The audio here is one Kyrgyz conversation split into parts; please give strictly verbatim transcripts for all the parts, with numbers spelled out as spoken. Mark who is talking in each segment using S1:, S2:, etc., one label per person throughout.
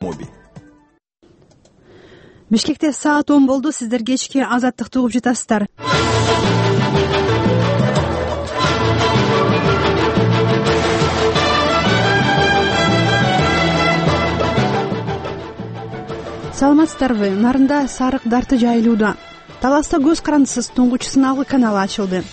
S1: моби.
S2: Бишкекте саат он болду. Сиздер кечки Азаттыкты угуп жатасыздар. Саламатсыздарбы? Нарында сарык дарты жайылууда. Таласта көз карандысыз туңгуч сыналгы каналы ачылды.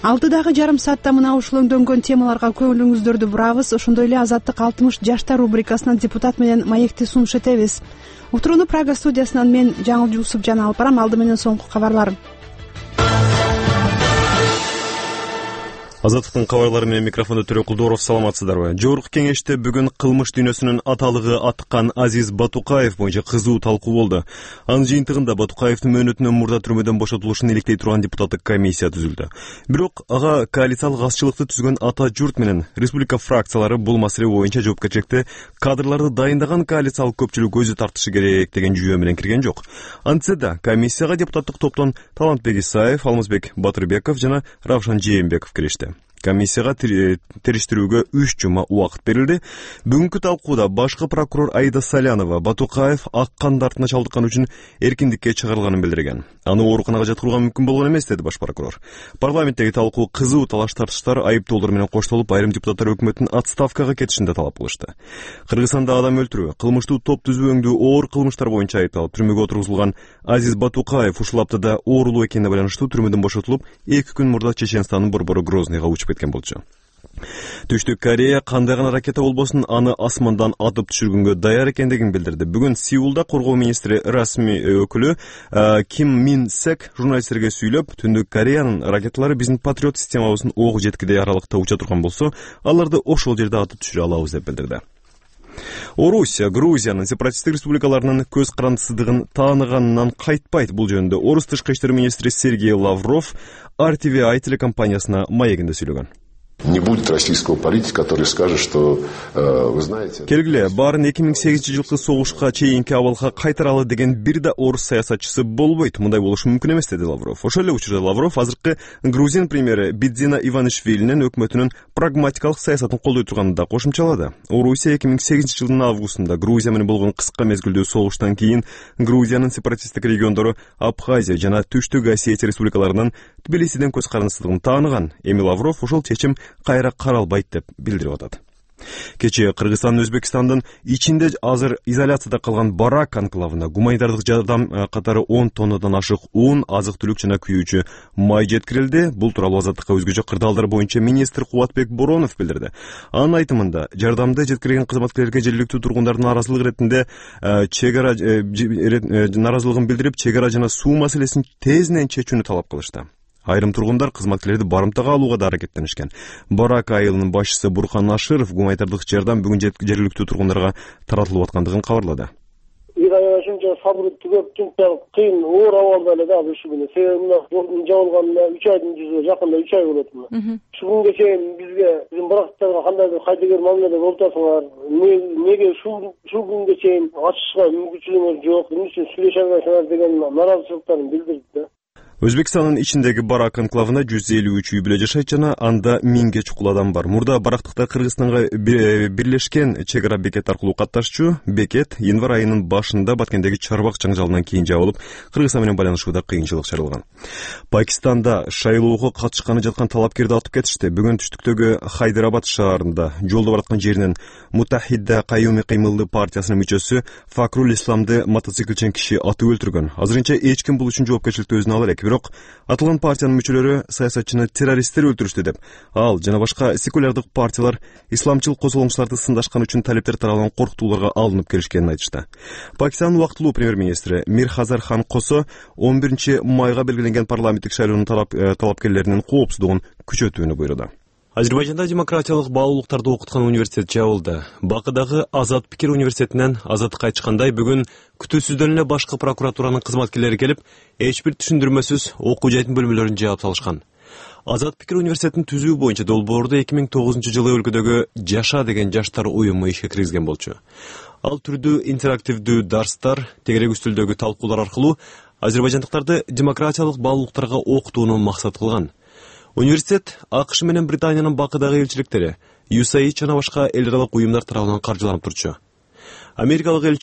S2: Алтыдагы жарым саатта мына ушул өңдөнгөн темаларга көңүлүңүздөрдү бурабыз. Ошондой эле Азаттык алтымыш жаштар рубрикасынан депутат менен маекти сунуш этебиз. Утурууну Прага студиясынан мен Жаңыл Жусупжан алып барам. Алды менен соңку кабарлар.
S1: Азаттыктын кабарлары менен микрофондо Төрө Кулдоров. Саламатсыздарбы? Жогорку кеңеште бүгүн кылмыш дүйнөсүнүн аталыгы аткан Азиз Батукаев боюнча кызуу талкуу болду. Анын жыйынтыгында Батукаевдин мөөнөтүнөн мурда түрмөдөн бошотулушун иликтей турган депутаттык комиссия түзүлдү. Бирок ага коалициялык азчылыкты түзгөн ата журт менен республика фракциялары бул маселе боюнча жоопкерчиликти кадрларды дайындаган коалициялык көпчүлүк өзү тартышы керек деген жүйө менен кирген жок. Антсе да комиссияга депутаттык топтон Талантбек Исаев, Алмазбек Батырбеков жана Равшан Жээнбеков киришти. Комиссияга териштирүүгө үч жума убакыт берилди. Бүгүнкү талкууда башкы прокурор Аида Салянова Батукаев ак кан дартына чалдыккан үчүн эркиндикке чыгарылганын билдирген. Аны ооруканага жаткырууга мүмкүн болгон эмес, деди баш прокурор. Парламенттеги талкуу кызуу талаш тартыштар айыптоолор менен коштолуп, айрым депутаттар өкмөттүн отставкага кетишин да талап кылышты. Кыргызстанда адам өлтүрүү, кылмыштуу топ түзүүңдүү оор кылмыштар боюнча айыпталып түрмөгө отургузулган Азиз Батукаев ушул аптада оорулуу экенине байланыштуу түрмөдөн бошотулуп, эки күн мурда Чеченстандын борбору Грозныйга учуп кеткен болчу. Түштүк Корея кандай гана ракета болбосун аны асмандан атып түшүргөнгө даяр экендигин билдирди. Бүгүн Сеулда коргоо министри расмий өкүлү Ким Мин Сек журналисттерге сүйлөп, Түндүк Кореянын ракеталары биздин патриот системабыздын ок жеткидей аралыкта уча турган болсо, аларды ошол жерде атып түшүрө алабыз деп билдирди. Орусия Грузиянын сепаратисттик республикаларынын көз карандысыздыгын тааныганынан кайтпайт. Бул жөнүндө Орус тышкы иштер министри Сергей Лавров ар ти ви ай телекомпаниясына маегинде сүйлөгөн.
S3: Не будет российского политика, который скажет, что э, вы знаете...
S1: Келгиле, баарын эки миң сегизинчи жылкы согушка чейинки абалга кайтаралы деген бир да орус саясатчысы болбойт. Мындай болушу мүмкүн эмес, деди Лавров. Ошол эле учурда Лавров азыркы Грузин премьери Бидзина Иванишвилинин өкмөтүнүн прагматикалык саясатын колдой турганын да кошумчалады. Орусия эки миң сегизинчи жылдын августунда Грузия менен болгон кыска мезгилдүү согуштан кийин Грузиянын сепаратисттик региондору Абхазия жана Түштүк Осетия республикаларынын Тбилисиден көз карандысыздыгын тааныган. Эми Лавров ошол чечим кайра каралбайт деп билдирип атат. Кечээ Кыргызстан Өзбекстандын ичинде азыр изоляцияда калган Барак анклавына гуманитардык жардам катары он тоннадан ашык ун, азык-түлүк жана күйүүчү май жеткирилди. Бул тууралуу Азаттыкка өзгөчө кырдаалдар боюнча министр Кубатбек Боронов билдирди. Анын айтымында, жардамды жеткирген кызматкерлерге жергиликтүү тургундардын наразылык иретинде чек ара наразылыгын билдирип, чек ара жана суу маселесин тезинен чечүүнү талап кылышты. Айрым тургундар кызматкерлерди барымтага алууга да аракеттенишкен. Барак айылынын башчысы Бурхан Ашыров гуманитардык жардам бүгүн жергиликтүү тургундарга таратылып аткандыгын кабарлады.
S4: Бир ай ошончо сабыр түгөп, чынчалык кыйын оор абалда эле да ушул күнү. Себеби жолдун жабылганына үч айдын жүзүнө жакында үч ай болот мына. Ушул күнгө чейин бизге биздин барактарга кандайдыр кайдыгер мамиледе болуп атасыңар, неге ушул ушул күнгө чейин ачышка мүмкүнчүлүгүңүз жок, эмне үчүн сүйлөшө албайсыңар деген наразычылыктарын билдирди да.
S1: Өзбекстандын ичиндеги Барак анклавында жүз элүү үч үй бүлө жашайт жана анда миңге чукул адам бар. Мурда барактыкта Кыргызстанга бирлешкен чек ара бекет аркылуу катташчу бекет январь айынын башында Баткендеги чарбак жаңжалынан кийин жабылып, Кыргызстан менен байланышууда кыйынчылык чарылган. Пакистанда шайлоого катышканы жаткан талапкерди атып кетишти. Бүгүн түштүктөгү Хайдарабад шаарында жолдо бараткан жеринен Мутахидда Каюми кыймылдуу партиясынын мүчөсү Факрул Исламды мотоциклчен киши атып өлтүргөн. Азырынча эч ким бул үчүн жоопкерчиликти өзүнө ала элек. Бирок атылган партиянын мүчөлөрү саясатчыны террористтер өлтүрүштү деп, ал жана башка секулярдык партиялар исламчыл козголоңчуларды сындашкан үчүн талептер таралган коркутууларга алынып келишкенин айтышты. Пакистандын убактылуу премьер-министри Мир Хазар Хан Косо он биринчи майга белгиленген парламенттик шайлоонун талапкерлеринин коопсуздугун күчөтүүнү буйруду. Азербайжанда демократиялык баалуулуктарды окуткан университет жабылды. Бакыдагы Азат пикир университетинен Азаттыкка айткандай, бүгүн күтүүсүздөн эле башкы прокуратуранын кызматкерлери келип, эч бир түшүндүрмөсүз окуу жайдын бөлмөлөрүн жаап салышкан. Азат пикир университетин түзүү боюнча долбоорду эки миң тогузунчу жылы өлкөдөгү Жаша деген жаштар уюму ишке киргизген болчу. Ал түрдүү интерактивдүү дарстар, тегерек үстөлдөгү талкуулар аркылуу азербайжандыктарды демократиялык баалуулуктарга окутууну максат кылган. Университет АКШ менен Британиянын Бакыдагы элчиликтери, ю эс эй жана башка эл аралык уюмдар тарабынан каржыланып турчу. Америкалык